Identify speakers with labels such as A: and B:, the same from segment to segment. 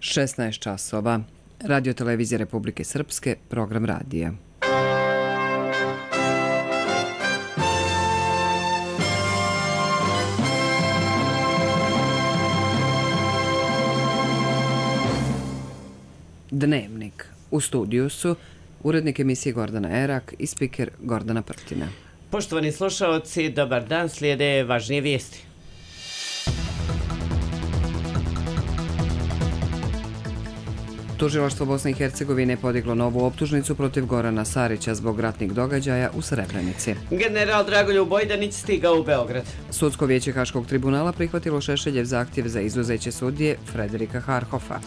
A: 16 časova. Radio televizija Republike Srpske, program radija. Dnevnik. U studiju su urednik emisije Gordana Erak i spiker Gordana Prtina.
B: Poštovani slušaoci, dobar dan, slijede važnije vijesti.
A: Tužilaštvo Bosne i Hercegovine podiglo novu optužnicu protiv Gorana Sarića zbog ratnih događaja u Srebrenici.
B: General Dragoljub Bojdanić stigao u Beograd.
A: Sudsko vijeće Haškog tribunala prihvatilo Šešeljev zahtjev za izuzeće sudije Frederika Harhofa.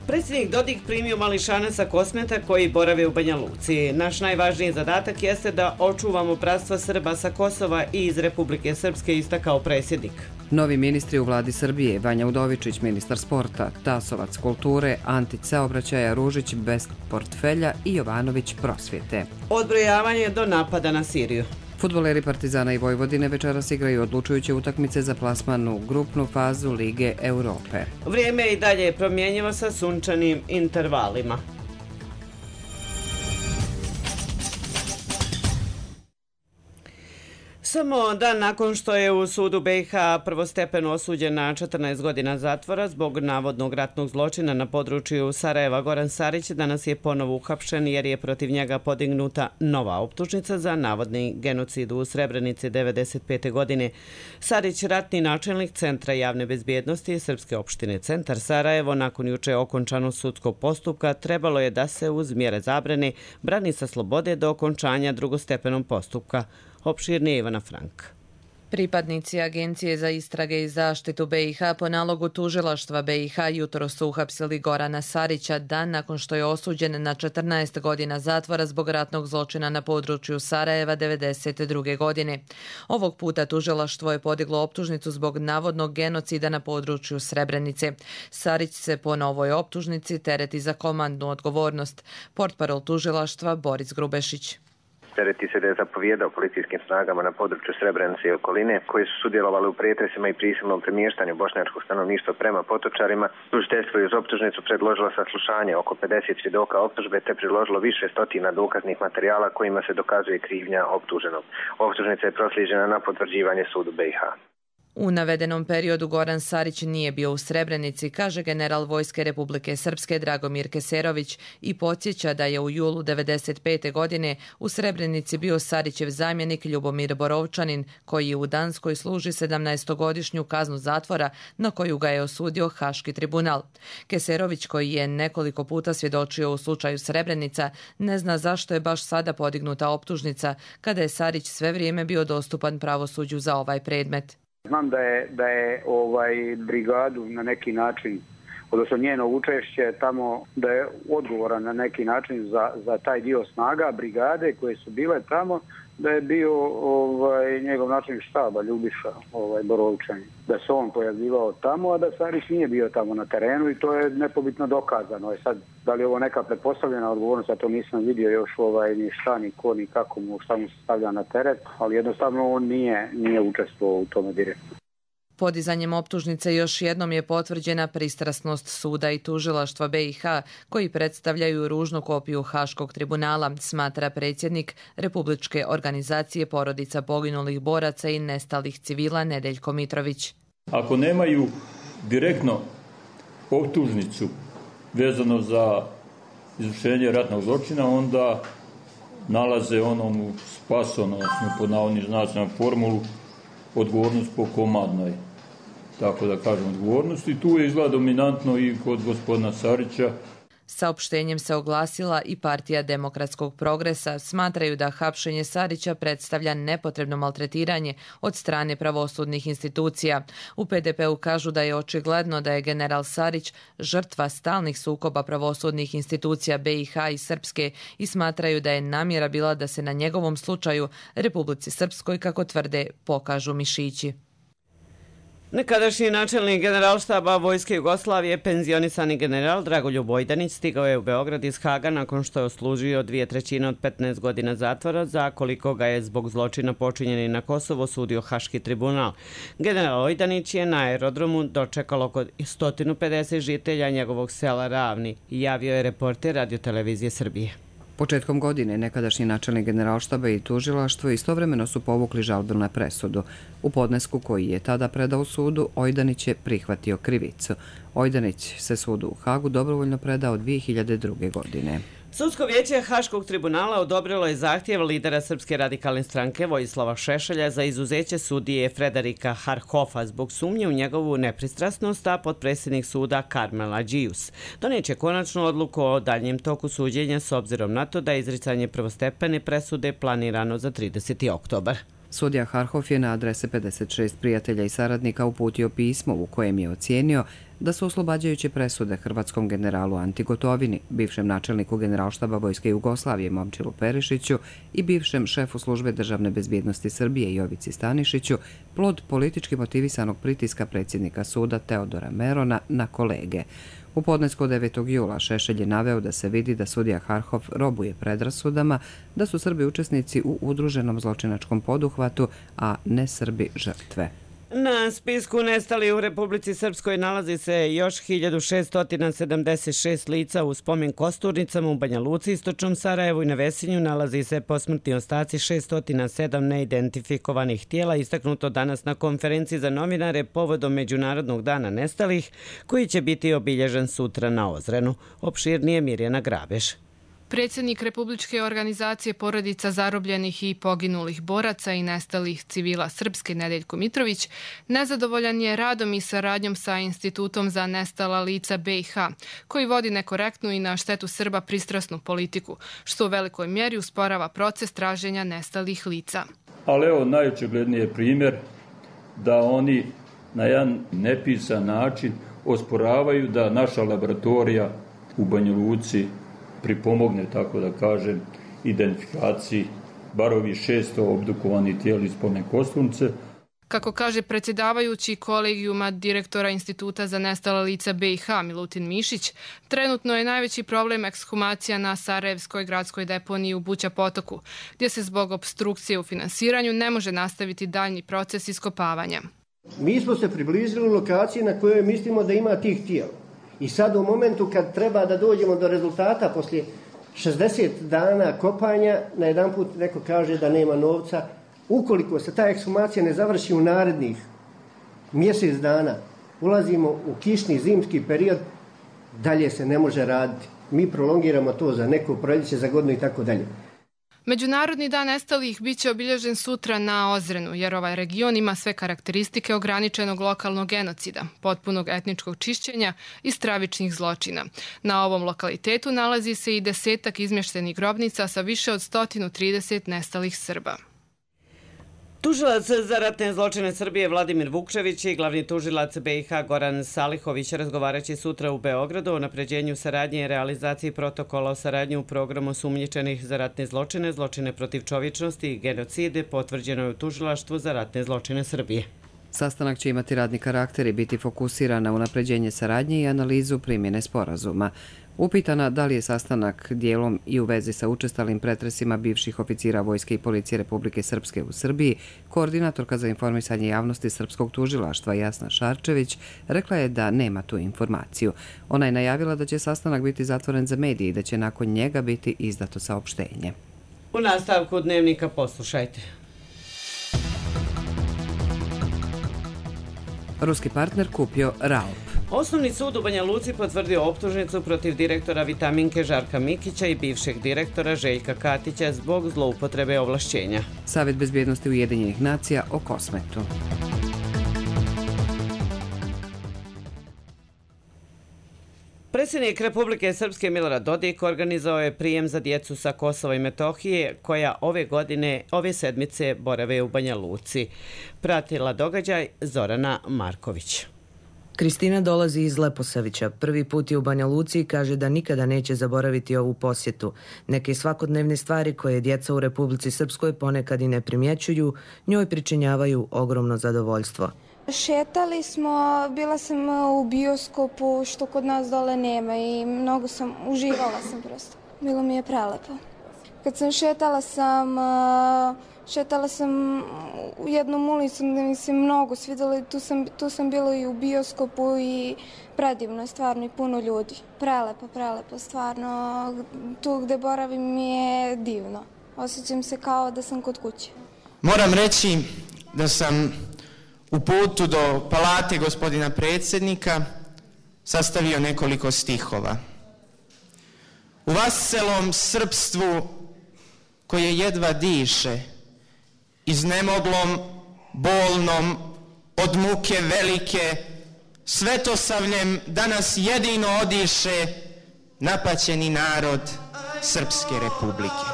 B: Predsjednik Dodik primio mališanaca Kosmeta koji borave u Banja Luci. Naš najvažniji zadatak jeste da očuvamo bratstvo Srba sa Kosova i iz Republike Srpske, istakao predsjednik.
A: Novi ministri u vladi Srbije, Vanja Udovičić, ministar sporta, Tasovac kulture, Antić saobraćaja, Ružić bez portfelja i Jovanović prosvjete.
B: Odbrojavanje do napada na Siriju.
A: Fudbaleri Partizana i Vojvodine večeras igraju odlučujuće utakmice za plasman u grupnu fazu Lige Europe.
B: Vrijeme je i dalje promjenjivo sa sunčanim intervalima. Samo dan nakon što je u sudu BiH prvostepeno osuđen na 14 godina zatvora zbog navodnog ratnog zločina na području Sarajeva, Goran Sarić danas je ponovo uhapšen jer je protiv njega podignuta nova optužnica za navodni genocid u Srebrenici 1995. godine. Sarić, ratni načelnik Centra javne bezbjednosti Srpske opštine Centar Sarajevo, nakon juče okončanog sudskog postupka, trebalo je da se uz mjere zabrane brani sa slobode do okončanja drugostepenog postupka. Opširnije Ivana Frank.
C: Pripadnici Agencije za istrage i zaštitu BiH po nalogu tužilaštva BiH jutro su uhapsili Gorana Sarića dan nakon što je osuđen na 14 godina zatvora zbog ratnog zločina na području Sarajeva 1992. godine. Ovog puta tužilaštvo je podiglo optužnicu zbog navodnog genocida na području Srebrenice. Sarić se po novoj optužnici tereti za komandnu odgovornost. Portparol tužilaštva Boris Grubešić.
D: Tereti se da je zapovijedao policijskim snagama na području Srebrenice i okoline, koji su sudjelovali u pretresima i prisilnom premještanju bošnjačkog stanovništva prema Potočarima. Tužiteljstvo je uz optužnicu predložilo saslušanje oko 50 svjedoka optužbe te priložilo više stotina dokaznih materijala kojima se dokazuje krivnja optuženog. Optužnica je proslijeđena na potvrđivanje sudu BiH.
C: U navedenom periodu Goran Sarić nije bio u Srebrenici, kaže general Vojske Republike Srpske Dragomir Keserović i podsjeća da je u julu 1995. godine u Srebrenici bio Sarićev zamjenik Ljubomir Borovčanin, koji u Danskoj služi 17-godišnju kaznu zatvora na koju ga je osudio Haški tribunal. Keserović, koji je nekoliko puta svjedočio u slučaju Srebrenica, ne zna zašto je baš sada podignuta optužnica kada je Sarić sve vrijeme bio dostupan pravosuđu za ovaj predmet.
E: Znam da je brigadu na neki način, odnosno njeno učešće tamo, da je odgovoran na neki način za taj dio snaga brigade koje su bile tamo, da je bio njegov načelnik štaba Ljubiša Borovčanin, da se on pojavljivao tamo, a da Sarić nije bio tamo na terenu i to je nepobitno dokazano. Sad, da li je ovo neka pretpostavljena odgovornost, ja to nisam vidio još ni šta, ni ko, ni kako mu, šta mu se stavlja na teret, ali jednostavno on nije učestvovao u tome direktno.
C: Podizanjem optužnice još jednom je potvrđena pristrasnost suda i tužilaštva BiH koji predstavljaju ružnu kopiju Haškog tribunala, smatra predsjednik Republičke organizacije porodica poginulih boraca i nestalih civila Nedeljko Mitrović.
F: Ako nemaju direktno optužnicu vezano za izvršenje ratnog zločina, onda nalaze onomu spasonosnu pod navodnim znacima formulu odgovornost po komandnoj, tako da kažem, odgovornost, i tu je izgleda dominantno i kod gospodina Sarića.
C: Saopštenjem se oglasila i Partija demokratskog progresa. Smatraju da hapšenje Sarića predstavlja nepotrebno maltretiranje od strane pravosudnih institucija. U PDP-u kažu da je očigledno da je general Sarić žrtva stalnih sukoba pravosudnih institucija BiH i Srpske i smatraju da je namjera bila da se na njegovom slučaju Republici Srpskoj, kako tvrde, pokažu mišići.
B: Nekadašnji načelnik Generalštaba Vojske Jugoslavije, penzionisani general Dragoljub Ojdanić, stigao je u Beograd iz Haga nakon što je odslužio 2/3 od 15 godina zatvora, za koliko ga je zbog zločina počinjeni na Kosovo sudio Haški tribunal. General Ojdanić je na aerodromu dočekalo oko 150 žitelja njegovog sela Ravni, javio je reporter Radio-televizije Srbije.
A: Početkom godine nekadašnji načelnik Generalštaba i tužilaštvo istovremeno su povukli žalbu na presudu. U podnesku koji je tada predao sudu, Ojdanić je prihvatio krivicu. Ojdanić se sudu u Hagu dobrovoljno predao 2002. godine.
B: Sudsko vijeće Haškog tribunala odobrilo je zahtjev lidera Srpske radikalne stranke Vojislava Šešelja za izuzeće sudije Frederika Harhofa zbog sumnje u njegovu nepristrasnost, a potpredsjednik suda Karmel Adžius doneće konačnu odluku o daljem toku suđenja s obzirom na to da je izricanje prvostepene presude planirano za 30. oktobar.
A: Sudija Harhof je na adrese 56 prijatelja i saradnika uputio pismo u kojem je ocijenio da su oslobađajuće presude hrvatskom generalu Anti Gotovini, bivšem načelniku Generalštaba Vojske Jugoslavije Momčilu Perišiću i bivšem šefu službe državne bezbjednosti Srbije Jovici Stanišiću, plod politički motivisanog pritiska predsjednika suda Teodora Merona na kolege. U podnesku 9. jula Šešelj je naveo da se vidi da sudija Harhof robuje predrasudama, da su Srbi učesnici u udruženom zločinačkom poduhvatu, a ne Srbi žrtve.
B: Na spisku nestali u Republici Srpskoj nalazi se još 1676 lica u spomen kosturnicama u Banja Luci, istočnom Sarajevu i na Vesinju nalazi se posmrtni ostaci 607 neidentifikovanih tijela, istaknuto danas na konferenciji za novinare povodom Međunarodnog dana nestalih, koji će biti obilježen sutra na Ozrenu. Opširnije Mirjana Grabeš.
G: Predsjednik Republičke organizacije porodica zarobljenih i poginulih boraca i nestalih civila Srpske Nedeljko Mitrović nezadovoljan je radom i saradnjom sa Institutom za nestala lica BiH, koji vodi nekorektnu i na štetu Srba pristrasnu politiku, što u velikoj mjeri usporava proces traženja nestalih lica.
F: Ali evo najočigledniji je primjer da oni na jedan nepisan način osporavaju da naša laboratorija u Banja Luci pripomogne, tako da kažem, identifikaciji bar ovih 600 obdukovanih tijela iz spomen kosturnice.
G: Kako kaže predsjedavajući kolegijuma direktora Instituta za nestala lica BiH Milutin Mišić, trenutno je najveći problem ekshumacija na Sarajevskoj gradskoj deponiji u Buća potoku, gdje se zbog opstrukcije u finansiranju ne može nastaviti daljnji proces iskopavanja.
H: Mi smo se približili lokaciji na kojoj mislimo da ima tih tijela. I sad u momentu kad treba da dođemo do rezultata poslije 60 dana kopanja, najedanput neko kaže da nema novca. Ukoliko se ta ekshumacija ne završi u narednih mjesec dana, ulazimo u kišni zimski period, dalje se ne može raditi. Mi prolongiramo to za neko proljeće, za godinu i tako dalje.
G: Međunarodni dan nestalih bit će obilježen sutra na Ozrenu, jer ovaj region ima sve karakteristike ograničenog lokalnog genocida, potpunog etničkog čišćenja i stravičnih zločina. Na ovom lokalitetu nalazi se i 10 izmještenih grobnica sa više od 130 nestalih Srba.
B: Tužilac za ratne zločine Srbije Vladimir Vukčević i glavni tužilac BiH Goran Salihović razgovaraće sutra u Beogradu o napređenju saradnje i realizaciji protokola o saradnji u programu sumnjičenih za ratne zločine, zločine protiv čovječnosti i genocide, potvrđeno je u Tužilaštvu za ratne zločine Srbije.
A: Sastanak će imati radni karakter i biti fokusiran na unapređenje saradnje i analizu primjene sporazuma. Upitana da li je sastanak dijelom i u vezi sa učestalim pretresima bivših oficira Vojske i Policije Republike Srpske u Srbiji, koordinatorka za informisanje javnosti Srpskog tužilaštva Jasna Šarčević rekla je da nema tu informaciju. Ona je najavila da će sastanak biti zatvoren za medije i da će nakon njega biti izdato saopštenje.
B: U nastavku dnevnika poslušajte.
A: Ruski partner kupio Ralp.
B: Osnovni sud u Banja Luci potvrdio optužnicu protiv direktora Vitaminke Žarka Mikića i bivšeg direktora Željka Katića zbog zloupotrebe ovlašćenja.
A: Savet bezbjednosti Ujedinjenih nacija o Kosmetu.
B: Predsjednik Republike Srpske Milorad Dodik organizovao je prijem za djecu sa Kosova i Metohije koja ove sedmice borave u Banja Luci. Pratila događaj Zorana Marković.
I: Kristina dolazi iz Leposavića. Prvi put je u Banja Luci i kaže da nikada neće zaboraviti ovu posjetu. Neke svakodnevne stvari koje djeca u Republici Srpskoj ponekad i ne primjećuju, njoj pričinjavaju ogromno zadovoljstvo.
J: Šetali smo, bila sam u bioskopu što kod nas dole nema i mnogo sam, uživala sam prosto. Bilo mi je prelepo. Kad sam šetala sam u jednom ulicu gdje mi se mnogo svidjelo, tu sam bila i u bioskopu i predivno je stvarno i puno ljudi. Prelepo, stvarno. Tu gdje boravim mi je divno. Osjećam se kao da sam kod kuće.
K: Moram reći da sam u putu do palate gospodina predsjednika sastavio nekoliko stihova. U vaselom srpstvu koje jedva diše, iznemoglom, bolnom, od muke velike, svetosavljem danas jedino odiše napaćeni narod Srpske republike.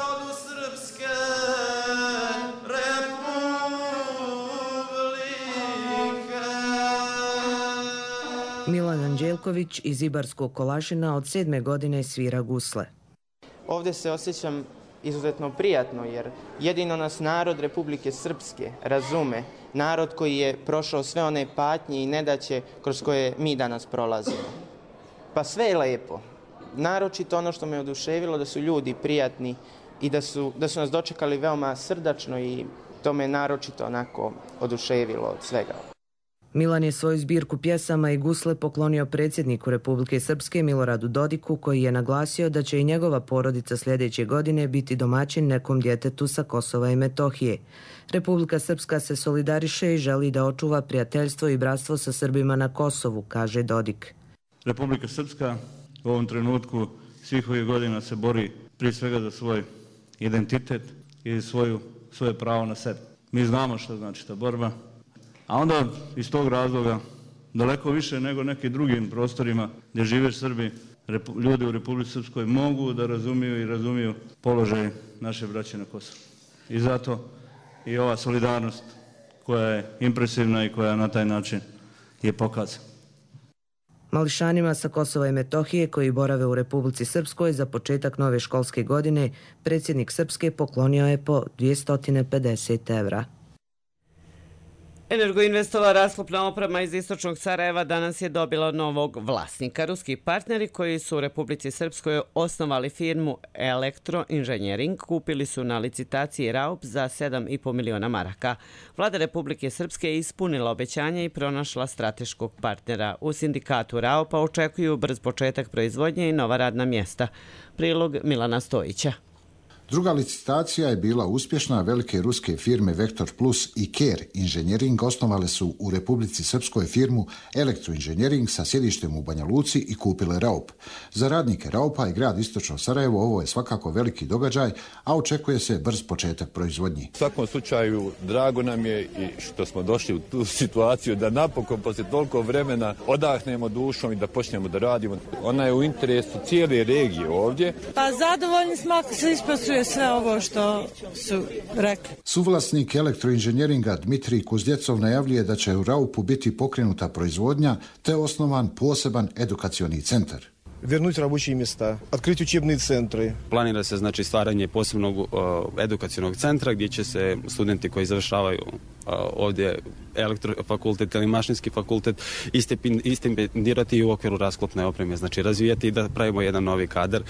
I: Milan Anđelković iz Ibarskog Kolašina od 7. godine svira gusle.
K: Ovdje se osjećam izuzetno prijatno jer jedino nas narod Republike Srpske razume, narod koji je prošao sve one patnje i nedaće kroz koje mi danas prolazimo. Pa sve je lepo. Naročito ono što me oduševilo da su ljudi prijatni i da su nas dočekali veoma srdačno i to me naročito onako oduševilo od svega.
I: Milan je svoju zbirku pjesama i gusle poklonio predsjedniku Republike Srpske Miloradu Dodiku, koji je naglasio da će i njegova porodica sljedeće godine biti domaćin nekom djetetu sa Kosova i Metohije. Republika Srpska se solidariše i želi da očuva prijateljstvo i bratstvo sa Srbima na Kosovu, kaže Dodik.
L: Republika Srpska u ovom trenutku svih ovih godina se bori prije svega za svoj identitet i svoje pravo na sebe. Mi znamo što znači ta borba. A onda iz tog razloga daleko više nego nekim drugim prostorima gdje žive Srbi, ljudi u Republici Srpskoj mogu da razumiju položaj naše braće na Kosovu. I zato i ova solidarnost koja je impresivna i koja na taj način je pokazana.
I: Mališanima sa Kosova i Metohije koji borave u Republici Srpskoj za početak nove školske godine predsjednik Srpske poklonio je po 250 evra.
B: Energoinvestova rasklopna oprema iz istočnog Sarajeva danas je dobila novog vlasnika. Ruski partneri koji su u Republici Srpskoj osnovali firmu Elektroinženjering kupili su na licitaciji Raup za 7,5 miliona maraka. Vlada Republike Srpske je ispunila obećanje i pronašla strateškog partnera. U sindikatu Raupa očekuju brz početak proizvodnje i nova radna mjesta. Prilog Milana Stojića.
M: Druga licitacija je bila uspješna. Velike ruske firme Vektor Plus i Ker Inženjering osnovale su u Republici Srpskoj firmu Elektroinženjering sa sjedištem u Banja Luci i kupile Raup. Za radnike Raupa i grad Istočno Sarajevo ovo je svakako veliki događaj, a očekuje se brz početak proizvodnji.
N: U svakom slučaju drago nam je i što smo došli u tu situaciju da napokon poslije toliko vremena odahnemo dušom i da počnemo da radimo. Ona je u interesu cijele regije ovdje.
O: Pa zadovoljni smo ako se ispoštuje sve ovo što su rekli.
M: Suvlasnik elektroinženjeringa Dmitrij Kuzdjecov najavljuje da će u Raupu biti pokrenuta proizvodnja te osnovan poseban edukacioni centar.
P: Вернуть рабочие места, открыть учебные центры.
Q: Planira se znači stvaranje posebnog edukacionog centra gdje će se studenti koji završavaju ovdje elektrofakultet ili mašinski fakultet stipendirati u okviru rasklopne opreme, znači razvijati i da pravimo jedan novi kadar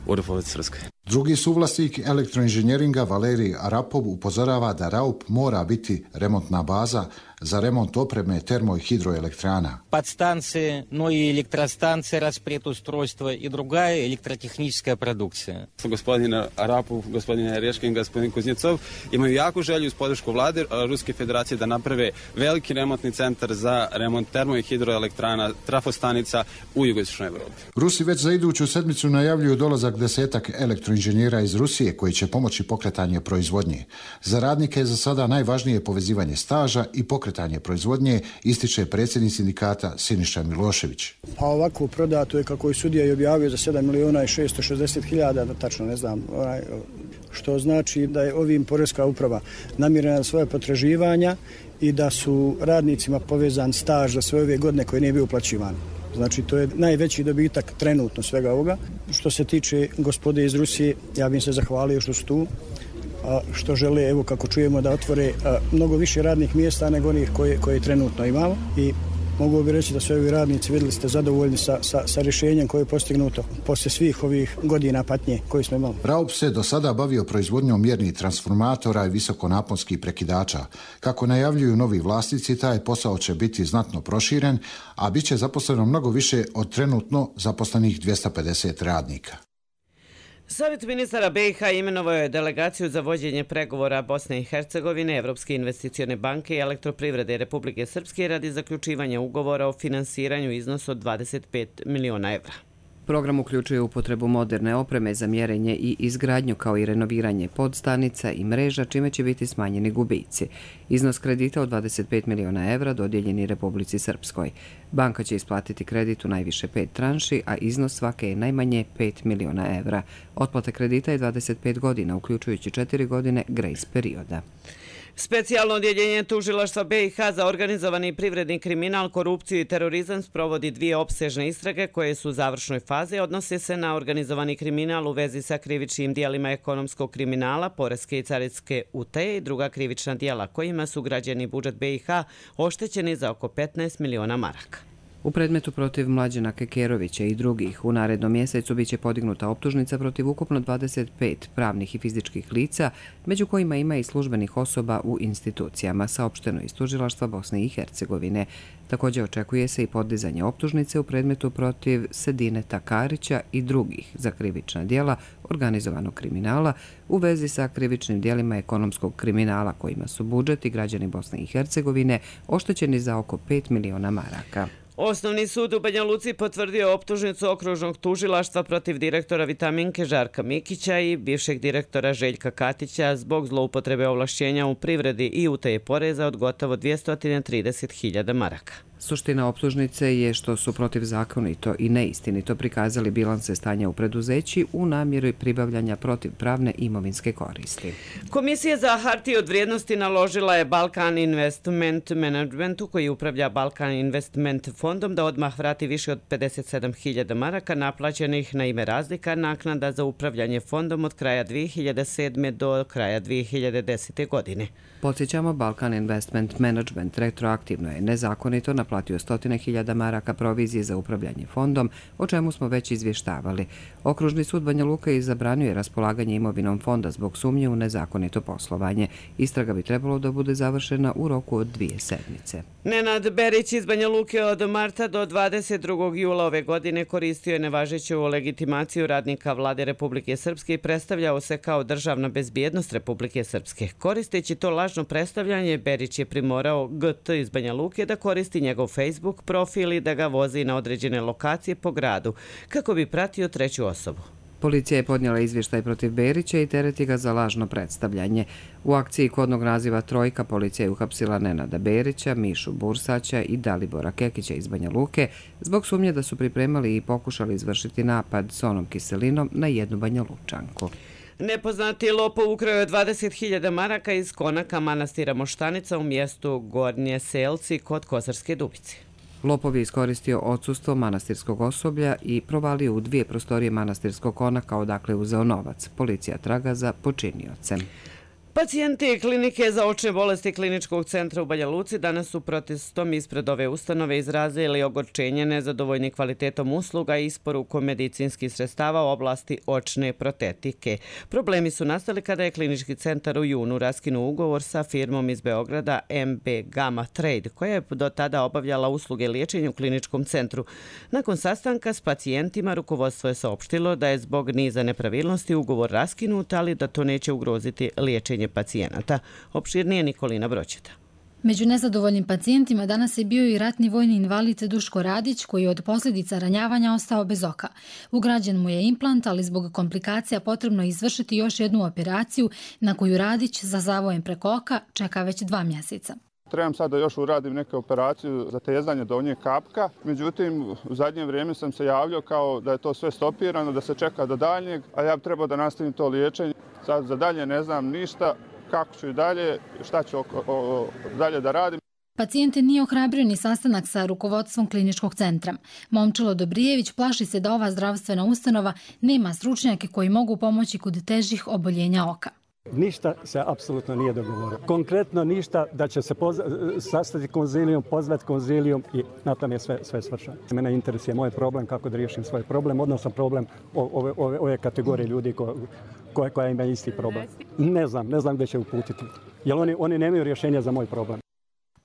Q: u Republici Srpskoj.
M: Drugi suvlasnik elektroinženjeringa Valerij Arapov upozorava da Raup mora biti remontna baza za remont opreme termo- i hidroelektrana.
R: Подстанции, но и электростанции, распредустройства и другая электротехническая продукция.
Q: Gospodin Arapov, gospodin Reškin, gospodin Kuznjecov imaju jaku želju uz podršku vlade Ruske federacije da naprave veliki remontni centar za remont termo- i hidroelektrana, trafostanica u jugoistočnoj Evropi.
M: Rusi već za iduću sedmicu najavljuju dolazak 10 elektroinženjera iz Rusije koji će pomoći pokretanje proizvodnje. Za radnike je za sada najvažnije povezivanje staža i pokretanje proizvodnje, ističe predsjednik sindikata Siniša Milošević.
S: Pa ovako prodato je, kako je sudija i objavio, za 7.660.000, da tačno ne znam, što znači da je ovim Poreska uprava namirena svoje potraživanja i da su radnicima povezan staž za sve ove godine koje nije bio uplaćivan. Znači, to je najveći dobitak trenutno svega ovoga. Što se tiče gospode iz Rusije, ja bih se zahvalio što su tu, što žele, evo kako čujemo, da otvore mnogo više radnih mjesta nego onih koje trenutno imamo i mogu bi reći da su ovi radnici, vidjeli ste, zadovoljni sa rješenjem koje je postignuto poslije svih ovih godina patnje koje smo imali.
M: Raup se do sada bavio proizvodnjom mjernih transformatora i visokonaponskih prekidača. Kako najavljuju novi vlasnici, taj posao će biti znatno proširen, a bit će zaposleno mnogo više od trenutno zaposlenih 250 radnika.
B: Savjet ministara BiH imenovao je delegaciju za vođenje pregovora Bosne i Hercegovine, Evropske investicione banke i elektroprivrede Republike Srpske radi zaključivanja ugovora o finansiranju iznosu od 25 miliona evra.
A: Program uključuje upotrebu moderne opreme za mjerenje i izgradnju kao i renoviranje podstanica i mreža, čime će biti smanjeni gubici. Iznos kredita od 25 miliona evra dodijeljen je Republici Srpskoj. Banka će isplatiti kredit u najviše 5 tranši, a iznos svake je najmanje 5 miliona evra. Otplata kredita je 25 godina, uključujući 4 godine grace perioda.
B: Specijalno odjeljenje tužilaštva BiH za organizovani privredni kriminal, korupciju i terorizam sprovodi 2 opsežne istrage koje su u završnoj fazi. Odnose se na organizovani kriminal u vezi sa krivičnim dijelima ekonomskog kriminala, poreske i carinske utaje i druga krivična dijela kojima su građani budžet BiH oštećeni za oko 15 miliona maraka.
A: U predmetu protiv Mlađana Kekerovića i drugih u narednom mjesecu biće podignuta optužnica protiv ukupno 25 pravnih i fizičkih lica, među kojima ima i službenih osoba u institucijama, saopšteno iz tužilaštva Bosne i Hercegovine. Također očekuje se i podizanje optužnice u predmetu protiv Sedineta Karića i drugih za krivična djela organizovanog kriminala u vezi sa krivičnim djelima ekonomskog kriminala kojima su budžet i građani Bosne i Hercegovine oštećeni za oko 5 miliona maraka.
B: Osnovni sud u Banja Luci potvrdio optužnicu okružnog tužilaštva protiv direktora Vitaminke Žarka Mikića i bivšeg direktora Željka Katića zbog zloupotrebe ovlašćenja u privredi i utaje poreza od gotovo 230.000 maraka.
A: Suština optužnice je što su protivzakonito i neistinito prikazali bilanse stanja u preduzeći u namjeri pribavljanja protivpravne imovinske koristi.
B: Komisija za hartije od vrijednosti naložila je Balkan Investment Managementu, koji upravlja Balkan Investment fondom, da odmah vrati više od 57.000 maraka naplaćenih na ime razlika naknada za upravljanje fondom od kraja 2007. do kraja 2010. godine.
A: Podsjećamo, Balkan Investment Management retroaktivno je nezakonito naplatio 100.000 maraka provizije za upravljanje fondom, o čemu smo već izvještavali. Okružni sud Banja Luka je zabranio raspolaganje imovinom fonda zbog sumnje u nezakonito poslovanje. Istraga bi trebalo da bude završena u roku od 2 sedmice.
B: Nenad Berić iz Banja Luke od marta do 22. jula ove godine koristio je nevažeću legitimaciju radnika Vlade Republike Srpske i predstavljao se kao državna bezbjednost Republike Srpske. Koristeći to lažno predstavljanje, Berić je primorao GT iz Banja Luke da koristi njegov Facebook profil i da ga vozi na određene lokacije po gradu, kako bi pratio treću osobu.
A: Policija je podnijela izvještaj protiv Berića i tereti ga za lažno predstavljanje. U akciji kodnog naziva Trojka policija je uhapsila Nenada Berića, Mišu Bursaća i Dalibora Kekića iz Banja Luke zbog sumnje da su pripremali i pokušali izvršiti napad s onom kiselinom na jednu Banja Lučanku.
B: Nepoznati lopov ukrao je 20.000 maraka iz konaka manastira Moštanica u mjestu Gornje Selci kod Kosarske Dubice.
A: Lopov je iskoristio odsustvo manastirskog osoblja i provalio u 2 prostorije manastirskog konaka odakle uzeo novac. Policija traga za počiniocem.
B: Pacijenti klinike za očne bolesti Kliničkog centra u Banja Luci danas su protestom ispred ove ustanove izrazili ogorčenje nezadovoljni kvalitetom usluga i isporukom medicinskih sredstava u oblasti očne protetike. Problemi su nastali kada je Klinički centar u junu raskinuo ugovor sa firmom iz Beograda MB Gamma Trade, koja je do tada obavljala usluge liječenja u Kliničkom centru. Nakon sastanka s pacijentima rukovodstvo je saopštilo da je zbog niza nepravilnosti ugovor raskinut, ali da to neće ugroziti liječenje pacijenata. Opširnije Nikolina Broćeta.
T: Među nezadovoljnim pacijentima danas je bio i ratni vojni invalid Duško Radić, koji je od posljedica ranjavanja ostao bez oka. Ugrađen mu je implant, ali zbog komplikacija potrebno je izvršiti još jednu operaciju na koju Radić za zavojem preko oka čeka već 2 mjeseca.
U: Trebam sad da još uradim neke operaciju za tezanje donjeg kapka, međutim u zadnje vrijeme sam se javljao kao da je to sve stopirano, da se čeka do daljnjeg, a ja bi trebao da nastavim to liječenje. Sad za dalje ne znam ništa, kako ću i dalje, šta ću dalje da radim.
T: Pacijente nije ohrabrio ni sastanak sa rukovodstvom kliničkog centra. Momčilo Dobrijević plaši se da ova zdravstvena ustanova nema stručnjake koji mogu pomoći kod težih oboljenja oka.
D: Ništa se apsolutno nije dogovorilo. Konkretno ništa da će se sastati konzilijum, pozvati konzilijum i na tom je sve svršeno. Mene interesuje moj problem, kako da riješim svoj problem, odnosno problem ove kategorije ljudi koja ima isti problem. Ne znam gdje će uputiti, jer oni nemaju rješenja za moj problem.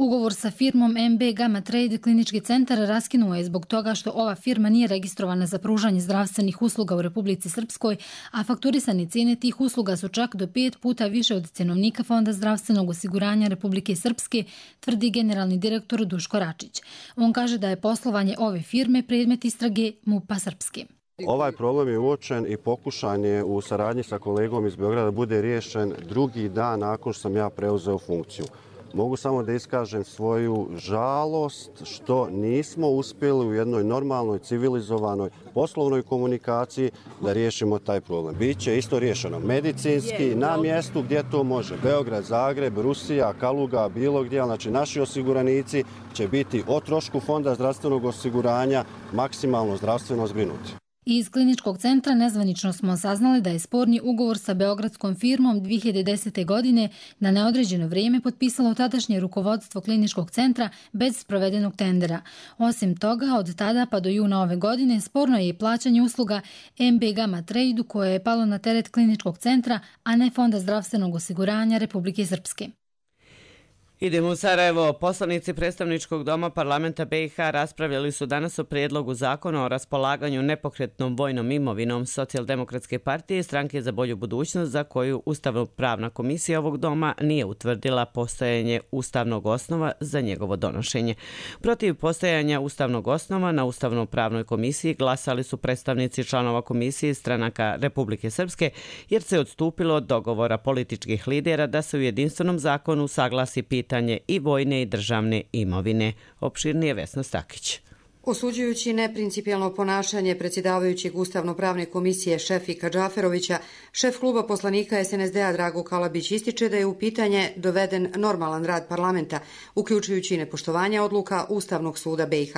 T: Ugovor sa firmom MB Gamma Trade klinički centar raskinuo je zbog toga što ova firma nije registrovana za pružanje zdravstvenih usluga u Republici Srpskoj, a fakturisane cijene tih usluga su čak do 5 puta više od cjenovnika Fonda zdravstvenog osiguranja Republike Srpske, tvrdi generalni direktor Duško Račić. On kaže da je poslovanje ove firme predmet istrage MUP-a Srpske.
V: Ovaj problem je uočen i pokušan je u saradnji sa kolegom iz Beograda da bude riješen drugi dan nakon što sam ja preuzeo funkciju. Mogu samo da iskažem svoju žalost što nismo uspjeli u jednoj normalnoj, civilizovanoj poslovnoj komunikaciji da riješimo taj problem. Biće isto riješeno medicinski, na mjestu gdje to može. Beograd, Zagreb, Rusija, Kaluga, bilo gdje. Znači naši osiguranici će biti o trošku Fonda zdravstvenog osiguranja maksimalno zdravstveno zbrinuti.
T: Iz kliničkog centra nezvanično smo saznali da je sporni ugovor sa beogradskom firmom 2010. godine na neodređeno vrijeme potpisalo tadašnje rukovodstvo kliničkog centra bez sprovedenog tendera. Osim toga, od tada pa do juna ove godine sporno je i plaćanje usluga MB Gamma Trade koje je palo na teret kliničkog centra, a ne Fonda zdravstvenog osiguranja Republike Srpske.
B: Idemo u Sarajevo. Poslanici predstavničkog doma parlamenta BiH raspravljali su danas o prijedlogu zakona o raspolaganju nepokretnom vojnom imovinom Socijaldemokratske partije i Stranke za bolju budućnost, za koju Ustavno-pravna komisija ovog doma nije utvrdila postojanje ustavnog osnova za njegovo donošenje. Protiv postojanja ustavnog osnova na Ustavno-pravnoj komisiji glasali su predstavnici članova komisije stranaka Republike Srpske, jer se odstupilo od dogovora političkih lidera da se u jedinstvenom zakonu saglasi pitanje i vojne i državne imovine. Opširnije Vesna Stakić.
W: Osuđujući neprincipijelno ponašanje predsjedavajućeg Ustavno-pravne komisije Šefika Džaferovića, šef kluba poslanika SNSD-a Drago Kalabić ističe da je u pitanje doveden normalan rad parlamenta, uključujući nepoštovanje odluka Ustavnog suda BiH.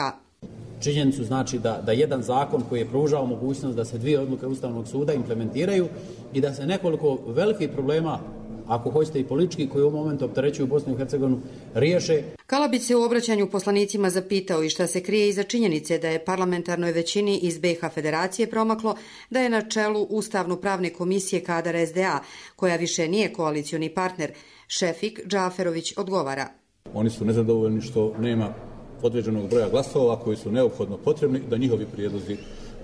X: Činjenicu znači da jedan zakon koji je pružao mogućnost da se dvije odluke Ustavnog suda implementiraju i da se nekoliko velikih problema, ako hoćete i politički, koji u momentu opterećuju Bosnu i Hercegovinu, riješe.
W: Kalabić se u obraćanju poslanicima zapitao i šta se krije iza činjenice da je parlamentarnoj većini iz BiH Federacije promaklo da je na čelu Ustavno-pravne komisije kadar SDA, koja više nije koalicioni partner. Šefik Džaferović odgovara.
X: Oni su nezadovoljni što nema određenog broja glasova koji su neophodno potrebni da njihovi prijedlozi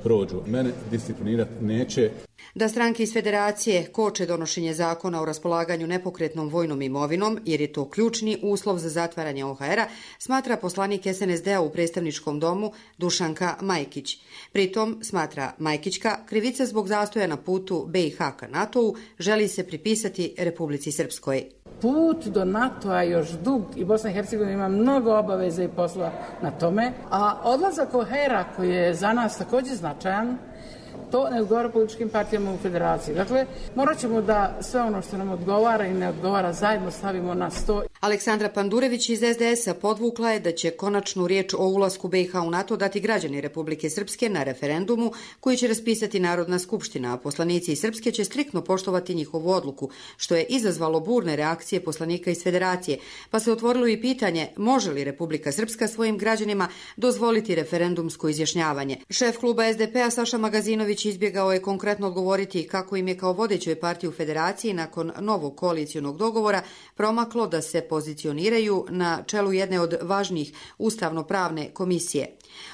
X: prođu. Mene disciplinirati neće.
W: Da stranke iz Federacije koče donošenje zakona o raspolaganju nepokretnom vojnom imovinom, jer je to ključni uslov za zatvaranje OHR-a, smatra poslanik SNSD-a u predstavničkom domu Dušanka Majkić. Pritom, smatra Majkićka, krivica zbog zastoja na putu BiH ka NATO-u želi se pripisati Republici Srpskoj.
Y: Put do NATO-a još dug i Bosna i Hercegovina ima mnogo obaveza i posla na tome, a odlazak OHR-a koji je za nas također značajan, to ne odgovara političkim partijama u federaciji. Dakle, morat ćemo da sve ono što nam odgovara i ne odgovara zajedno stavimo na sto.
W: Aleksandra Pandurević iz SDS-a podvukla je da će konačnu riječ o ulasku BiH u NATO dati građani Republike Srpske na referendumu koji će raspisati Narodna skupština, a poslanici iz Srpske će striktno poštovati njihovu odluku, što je izazvalo burne reakcije poslanika iz Federacije, pa se otvorilo i pitanje može li Republika Srpska svojim građanima dozvoliti referendumsko izjašnjavanje. Šef kluba SDP-a Saša Magazinović izbjegao je konkretno odgovoriti kako im je kao vodećoj partiji u Federaciji nakon novog koalicijonog dogovora promaklo da se pozicioniraju na čelu jedne od važnijih ustavno-pravne komisije.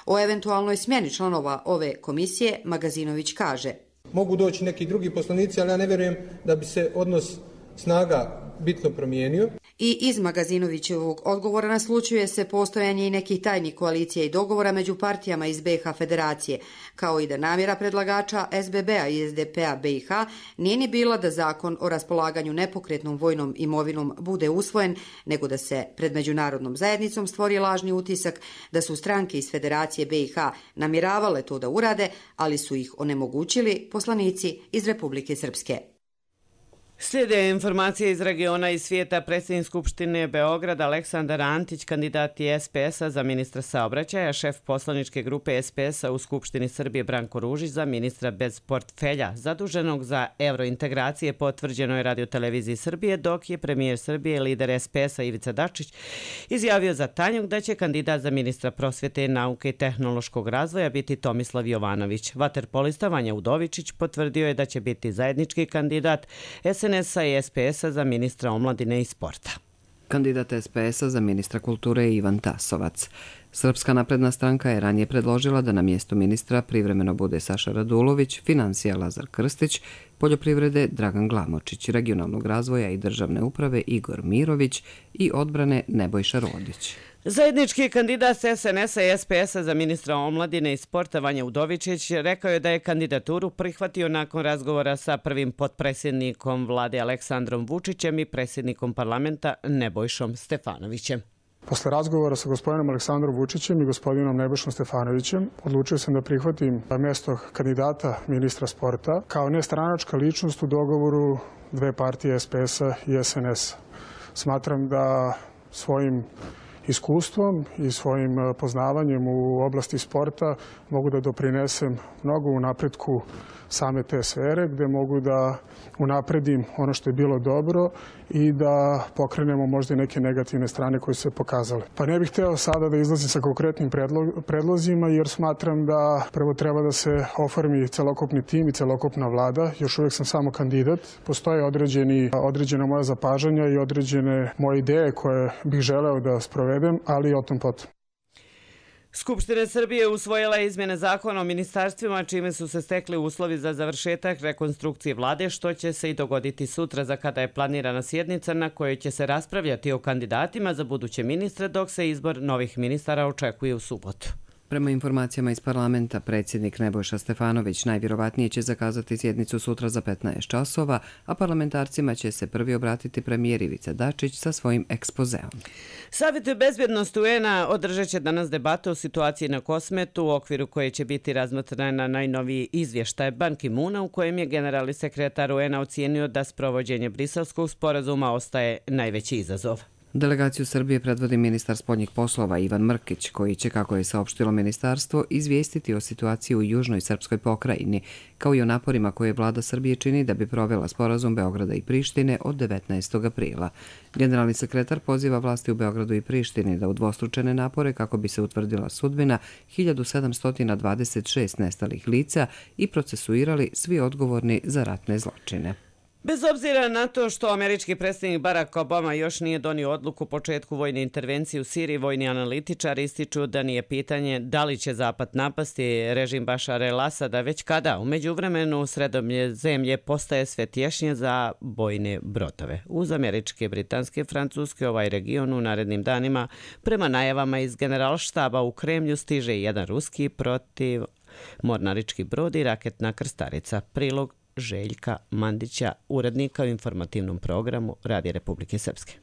W: O eventualnoj smjeni članova ove komisije Magazinović kaže:
Z: Mogu doći neki drugi poslanici, ali ja ne vjerujem da bi se odnos snaga bitno promijenio.
W: I iz Magazinovićevog odgovora naslučuje se postojanje i nekih tajnih koalicija i dogovora među partijama iz BiH Federacije, kao i da namjera predlagača SBB-a i SDP-a BiH nije ni bila da zakon o raspolaganju nepokretnom vojnom imovinom bude usvojen, nego da se pred međunarodnom zajednicom stvori lažni utisak da su stranke iz Federacije BiH namjeravale to da urade, ali su ih onemogućili poslanici iz Republike Srpske.
B: Slijede informacije iz regiona i svijeta. Predsjednik Skupštine Beograda Aleksandar Antić, kandidat je SPS-a za ministra saobraćaja, šef poslaničke grupe SPS-a u Skupštini Srbije Branko Ružić za ministra bez portfelja, zaduženog za evrointegracije, potvrđeno je Radio-televiziji Srbije, dok je premijer Srbije, lider SPS-a Ivica Dačić, izjavio za Tanjug da će kandidat za ministra prosvjete, nauke i tehnološkog razvoja biti Tomislav Jovanović. Vaterpolista Vanja Udovičić potvrdio je da će biti zajednički kandidat SNS-a i SPS-a za ministra omladine i sporta.
A: Kandidat SPS-a za ministra kulture je Ivan Tasovac. Srpska napredna stranka je ranije predložila da na mjestu ministra privremeno bude Saša Radulović, financija Lazar Krstić, poljoprivrede Dragan Glamočić, regionalnog razvoja i državne uprave Igor Mirović i odbrane Nebojša Rodić.
B: Zajednički kandidat SNS-a i SPS-a za ministra omladine i sporta Vanja Udovičić rekao je da je kandidaturu prihvatio nakon razgovora sa prvim potpredsjednikom vlade Aleksandrom Vučićem i predsjednikom parlamenta Nebojšom Stefanovićem.
C: Posle razgovora sa gospodinom Aleksandrom Vučićem i gospodinom Nebojšom Stefanovićem odlučio sam da prihvatim mjesto kandidata ministra sporta kao nestranačka ličnost u dogovoru dve partije SPS-a i SNS-a. Smatram da svojim iskustvom i svojim poznavanjem u oblasti sporta mogu da doprinesem mnogo u napretku same te sfere, gde mogu da unapredim ono što je bilo dobro i da pokrenemo možda i neke negativne strane koje su se pokazale. Pa ne bih hteo sada da izlazim sa konkretnim predlozima, jer smatram da prvo treba da se oformi celokupni tim i celokupna vlada. Još uvijek sam samo kandidat. Postoje određena moja zapažanja i određene moje ideje koje bih želeo da sprovedem, ali o tom potom.
B: Skupština Srbije usvojila izmjene zakona o ministarstvima, čime su se stekli uslovi za završetak rekonstrukcije vlade, što će se i dogoditi sutra, za kada je planirana sjednica na kojoj će se raspravljati o kandidatima za buduće ministre, dok se izbor novih ministara očekuje u subotu.
A: Prema informacijama iz parlamenta, predsjednik Nebojša Stefanović najvjerovatnije će zakazati sjednicu sutra za 15 časova, a parlamentarcima će se prvi obratiti premijer Ivica Dačić sa svojim ekspozeom.
B: Savjet bezbjednosti UN-a održat će danas debatu o situaciji na Kosmetu, u okviru koje će biti razmatrana najnoviji izvještaj Ban Ki-moona, u kojem je generalni sekretar UN-a ocijenio da sprovođenje Briselskog sporazuma ostaje najveći izazov.
A: Delegaciju Srbije predvodi ministar spoljnih poslova Ivan Mrkić, koji će, kako je saopštilo ministarstvo, izvijestiti o situaciji u južnoj srpskoj pokrajini, kao i o naporima koje vlada Srbije čini da bi provela sporazum Beograda i Prištine od 19. aprila. Generalni sekretar poziva vlasti u Beogradu i Prištini da udvostručene napore kako bi se utvrdila sudbina 1726 nestalih lica i procesuirali svi odgovorni za ratne zločine.
B: Bez obzira na to što američki predsjednik Barack Obama još nije donio odluku o početku vojne intervencije u Siriji, vojni analitičari ističu da nije pitanje da li će Zapad napasti režim Bašara el-Asada, već kada. U međuvremenu Sredozemlje postaje sve tješnje za bojne brodove. Uz američke, britanske, francuske, ovaj region u narednim danima, prema najavama iz generalštaba u Kremlju, stiže jedan ruski protiv mornarički brod i raketna krstarica. Prilog Željka Mandića, urednika u informativnom programu Radija Republike Srpske.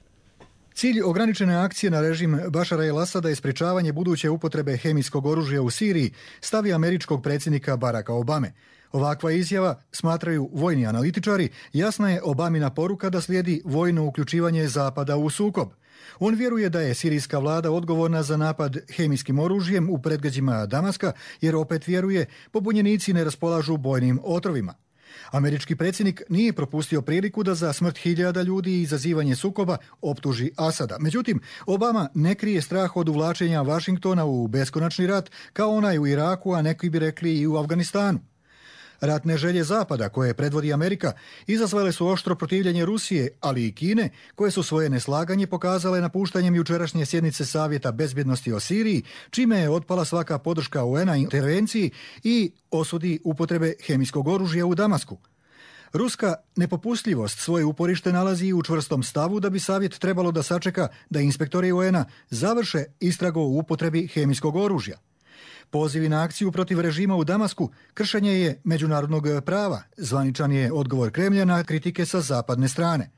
E: Cilj ograničene akcije na režim Bašara el-Asada je sprečavanje buduće upotrebe hemijskog oružja u Siriji, stavi američkog predsjednika Baracka Obame. Ovakva izjava, smatraju vojni analitičari, jasna je Obamina poruka da slijedi vojno uključivanje Zapada u sukob. On vjeruje da je sirijska vlada odgovorna za napad hemijskim oružjem u predgrađima Damaska, jer opet vjeruje pobunjenici ne raspolažu bojnim otrovima. Američki predsjednik nije propustio priliku da za smrt hiljada ljudi i izazivanje sukoba optuži Asada. Međutim, Obama ne krije strah od uvlačenja Vašingtona u beskonačni rat, kao onaj u Iraku, a neki bi rekli i u Afganistanu. Ratne želje Zapada, koje predvodi Amerika, izazvale su oštro protivljenje Rusije, ali i Kine, koje su svoje neslaganje pokazale napuštanjem jučerašnje sjednice Savjeta bezbjednosti o Siriji, čime je otpala svaka podrška UN-a intervenciji i osudi upotrebe hemijskog oružja u Damasku. Ruska nepopustljivost svoje uporište nalazi u čvrstom stavu da bi Savjet trebalo da sačeka da inspektori UN-a završe istragu o upotrebi hemijskog oružja. Pozivi na akciju protiv režima u Damasku kršenje je međunarodnog prava, zvaničan je odgovor Kremlja na kritike sa zapadne strane.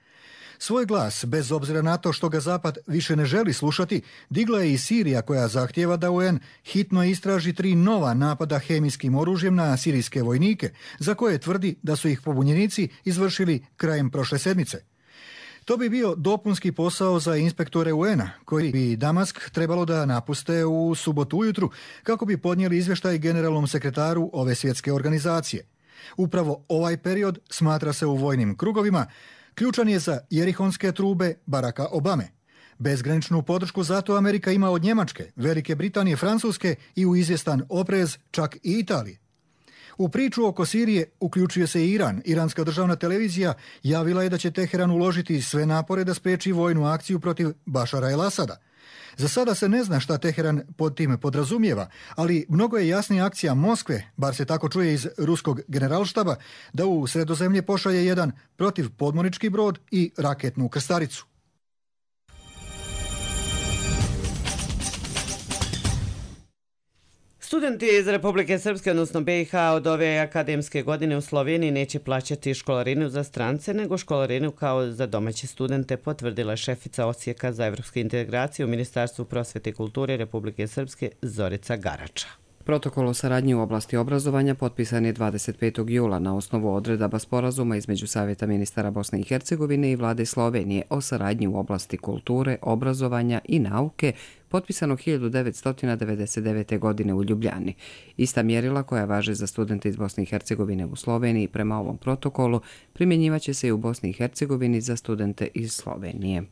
E: Svoj glas, bez obzira na to što ga Zapad više ne želi slušati, digla je i Sirija koja zahtijeva da UN hitno istraži 3 nova napada hemijskim oružjem na sirijske vojnike, za koje tvrdi da su ih pobunjenici izvršili krajem prošle sedmice. To bi bio dopunski posao za inspektore UN-a, koji bi Damask trebalo da napuste u subotu ujutru kako bi podnijeli izvještaj generalnom sekretaru ove svjetske organizacije. Upravo ovaj period smatra se u vojnim krugovima ključan je za jerihonske trube Baracka Obame. Bezgraničnu podršku zato Amerika ima od Njemačke, Velike Britanije, Francuske i u izvjestan oprez čak i Italije. U priču oko Sirije uključuje se i Iran. Iranska državna televizija javila je da će Teheran uložiti sve napore da spriječi vojnu akciju protiv Bašara el-Asada. Za sada se ne zna šta Teheran pod tim podrazumijeva, ali mnogo je jasnija akcija Moskve, bar se tako čuje iz ruskog generalštaba, da u Sredozemlje pošalje jedan protivpodmornički brod i raketnu krstaricu.
B: Studenti iz Republike Srpske, odnosno BiH, od ove akademske godine u Sloveniji neće plaćati školarinu za strance, nego školarinu kao za domaće studente, potvrdila šefica Odsjeka za evropsku integraciju u Ministarstvu prosvete i kulture Republike Srpske Zorica Garača.
A: Protokol o saradnji u oblasti obrazovanja potpisan je 25. jula na osnovu odredaba sporazuma između Savjeta ministara Bosne i Hercegovine i vlade Slovenije o saradnji u oblasti kulture, obrazovanja i nauke, potpisano 1999. godine u Ljubljani. Ista mjerila koja važe za studente iz Bosne i Hercegovine u Sloveniji prema ovom protokolu primjenjivaće se i u Bosni i Hercegovini za studente iz Slovenije.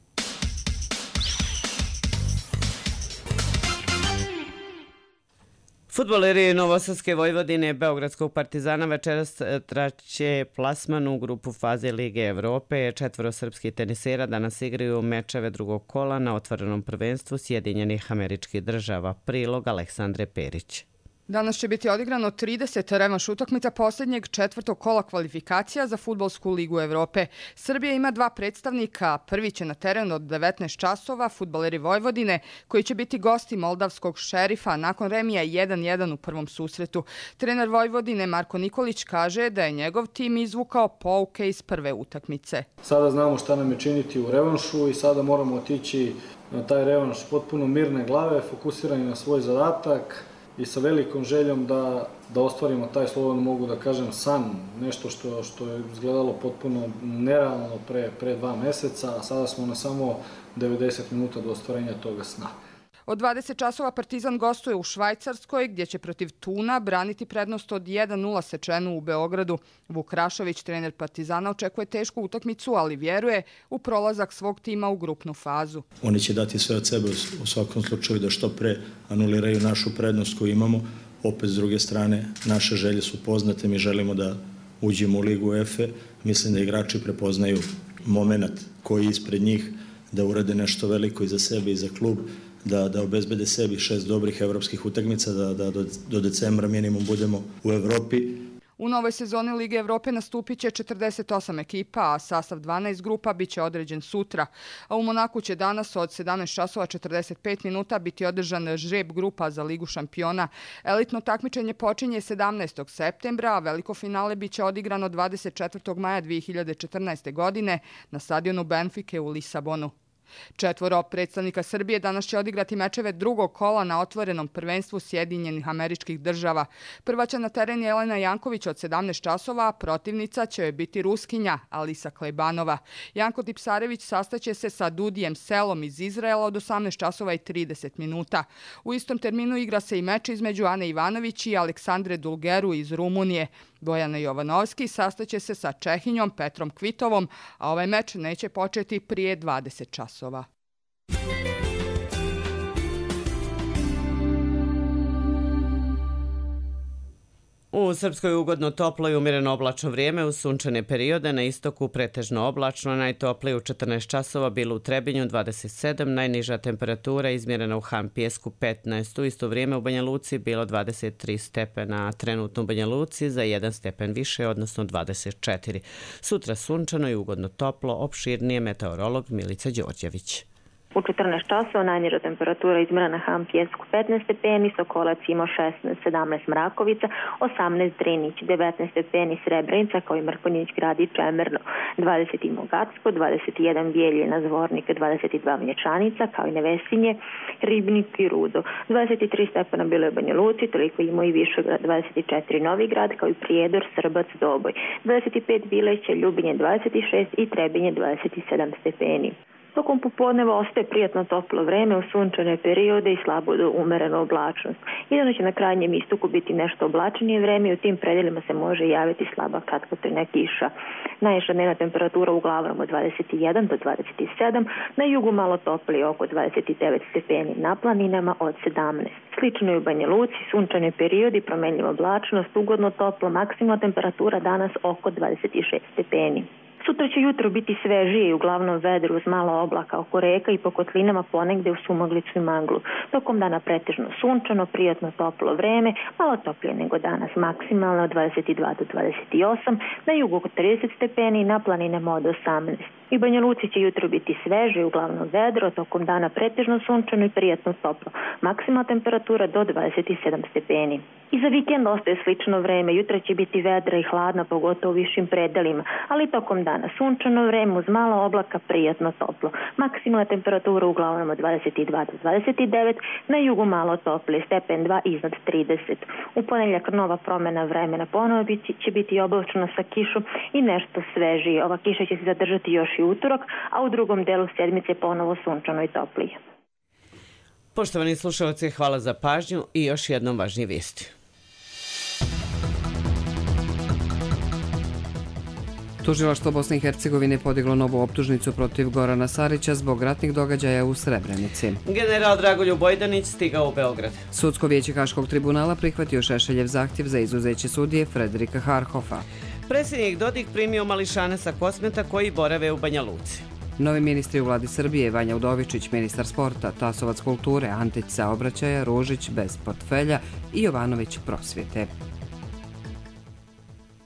B: Fudbaleri Novosadske Vojvodine Beogradskog Partizana večeras traće plasman u grupu faze Lige Evrope. 4 srpskih tenisera danas igraju mečeve drugog kola na otvorenom prvenstvu Sjedinjenih Američkih Država. Prilog Aleksandre Perić.
F: Danas će biti odigrano 30 revanš utakmica posljednjeg 4. kola kvalifikacija za Fudbalsku ligu Evrope. Srbija ima 2 predstavnika. Prvi će na terenu od 19 časova fudbaleri Vojvodine, koji će biti gosti moldavskog Šerifa nakon remija 1-1 u prvom susretu. Trener Vojvodine Marko Nikolić kaže da je njegov tim izvukao pouke iz prve utakmice.
G: Sada znamo šta nam je činiti u revanšu i sada moramo otići na taj revanš potpuno mirne glave, fokusirani na svoj zadatak i sa velikom željom da ostvarimo taj, slobodno mogu da kažem, san, nešto što je izgledalo potpuno nerealno pre 2 meseca, a sada smo na samo 90 minuta do ostvarenja toga sna.
F: Od 20 časova Partizan gostuje u Švajcarskoj, gdje će protiv Tuna braniti prednost od 1-0 Sečenu u Beogradu. Vuk Rašović, trener Partizana, očekuje tešku utakmicu, ali vjeruje u prolazak svog tima u grupnu fazu.
H: Oni će dati sve od sebe u svakom slučaju da što pre anuliraju našu prednost koju imamo. Opet, s druge strane, naše želje su poznate, mi želimo da uđemo u Ligu UEFA. Mislim da igrači prepoznaju moment koji je ispred njih, da urade nešto veliko i za sebe i za klub, da obezbede sebi 6 dobrih evropskih utakmica, da do decembra minimum budemo u Evropi.
F: U novoj sezoni Lige Evrope nastupit će 48 ekipa, a sastav 12 grupa bit će određen sutra. A u Monaku će danas od 17 časova 45 minuta biti održan žreb grupa za Ligu šampiona. Elitno takmičenje počinje 17. septembra, a veliko finale bit će odigrano 24. maja 2014. godine na stadionu Benfike u Lisabonu. 4 predstavnika Srbije danas će odigrati mečeve drugog kola na otvorenom prvenstvu Sjedinjenih Američkih Država. Prva će na teren Jelena Janković od 17 časova, a protivnica će joj biti Ruskinja Alisa Klejbanova. Janko Tipsarević sastaće se sa Dudijem Selom iz Izraela od 18 časova i 30 minuta. U istom terminu igra se i meč između Ane Ivanović i Aleksandre Dulgeru iz Rumunije. Bojana Jovanovski sastaće se sa Čehinjom Petrom Kvitovom, a ovaj meč neće početi prije 20 časova.
B: U Srpskoj ugodno toplo i umjereno oblačno vrijeme uz sunčane periode, na istoku pretežno oblačno, najtoplije u 14 časova bilo u Trebinju 27, najniža temperatura izmjerena u Han Pijesku 15. U isto vrijeme u Banja Luci bilo 23 stepena, trenutno u Banja Luci za 1 stepen više, odnosno 24. Sutra sunčano i ugodno toplo, opširnije meteorolog Milica Đorđević.
I: U 14 časova najniža temperatura izmjerena na Ham Pjesku 15 stepeni, Sokolac imao 16, 17 Mrakovica, 18 Drinić, 19 stepeni Srebrenica kao i Mrkonjić grad i Čemerno, 20 Mogacko, 21 Bijeljina, Zvornik, 22 Mlječanica kao i Nevesinje, Ribnik i Rudo, 23 stepena bilo je u Banja Luci, toliko imao i Višegrad, 24 Novigrad kao i Prijedor, Srbac, Doboj, 25 Bileće, Ljubinje 26 i Trebinje 27 stepeni. Tokom popodneva ostaje prijatno toplo vreme u sunčane periode i slabo do umerenu oblačnost. Jedino će na krajnjem istoku biti nešto oblačnije vreme i u tim predelima se može javiti slaba kratkotrajna kiša. Najviša dnevna temperatura uglavnom od 21 do 27, na jugu malo toplije oko 29 stepeni, na planinama od 17. Slično je u Banja Luci, sunčane periodi, promenljiva oblačnost, ugodno toplo, maksimalna temperatura danas oko 26 stepeni. Sutra će jutro biti svežije i uglavnom vedro uz malo oblaka oko reka i po kotlinama ponegde u sumaglicu i maglu. Tokom dana pretežno sunčano, prijatno toplo vreme, malo toplije nego danas, maksimalno od 22 do 28, na jugu oko 30 stepeni, na planinama od 18. I Banja Luci će jutro biti sveže i uglavnom vedro, tokom dana pretežno sunčano i prijatno toplo, maksimalna temperatura do 27 stepeni. I za vikend ostaje slično vreme, jutra će biti vedra i hladna, pogotovo u višim predelima, ali tokom dana sunčano vreme uz malo oblaka, prijatno toplo. Maksimalna temperatura uglavnom od 22 do 29, na jugu malo toplije, stepen 2 iznad 30. U ponedjeljak nova promjena vremena, ponovo će biti oblačno sa kišom i nešto svežije. Ova kiša će se zadržati još i utorak, a u drugom delu sedmice ponovo sunčano i toplije.
B: Poštovani slušalci, hvala za pažnju i još jednom važnije vijesti.
A: Tužilaštvo Bosne i Hercegovine podiglo novu optužnicu protiv Gorana Sarića zbog ratnih događaja u Srebrenici.
B: General Dragoljub Bojdanić stigao u Beograd.
A: Sudsko vijeće Haškog tribunala prihvatio Šešeljev zahtjev za izuzeće sudije Frederika Harhofa.
B: Predsjednik Dodik primio mališane sa Kosmeta koji borave u Banja Luci.
A: Novi ministri u vladi Srbije, Vanja Udovičić, ministar sporta, Tasovac kulture, Antić saobraćaja, Ružić bez portfelja i Jovanović prosvjete.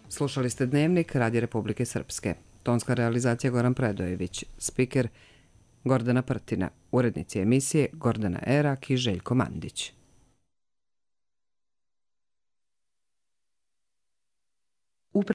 A: Slušali ste Dnevnik Radija Republike Srpske. Tonska realizacija Goran Predojević, spiker Gordana Prtina, urednici emisije Gordana Erak i Željko Mandić.